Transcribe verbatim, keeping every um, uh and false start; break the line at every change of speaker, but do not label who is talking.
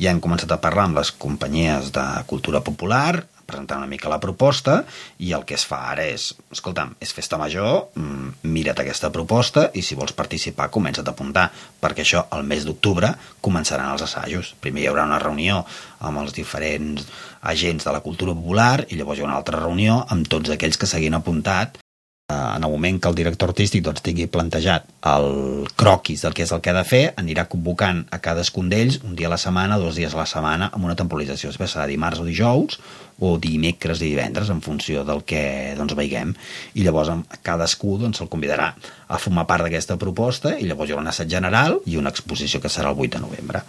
ja hem començat a parlar amb les companyies de cultura popular, presentar una mica la proposta, i el que es fa ara és, escolta'm, és festa major, mira't aquesta proposta i si vols participar comença't a apuntar, perquè això el mes d'octubre començaran els assajos. Primer hi haurà una reunió amb els diferents agents de la cultura popular i llavors hi haurà una altra reunió amb tots aquells que s'hagin apuntat. En el moment que el director artístic doncs, tingui plantejat el croquis del que és el que ha de fer, anirà convocant a cadascun d'ells un dia a la setmana, dos dies a la setmana, amb una temporalització. Després serà dimarts o dijous, o dimecres i divendres, en funció del que doncs, veiguem. I llavors cadascú doncs, se'l convidarà a formar part d'aquesta proposta i llavors hi haurà un assaig general i una exposició que serà el vuit de novembre.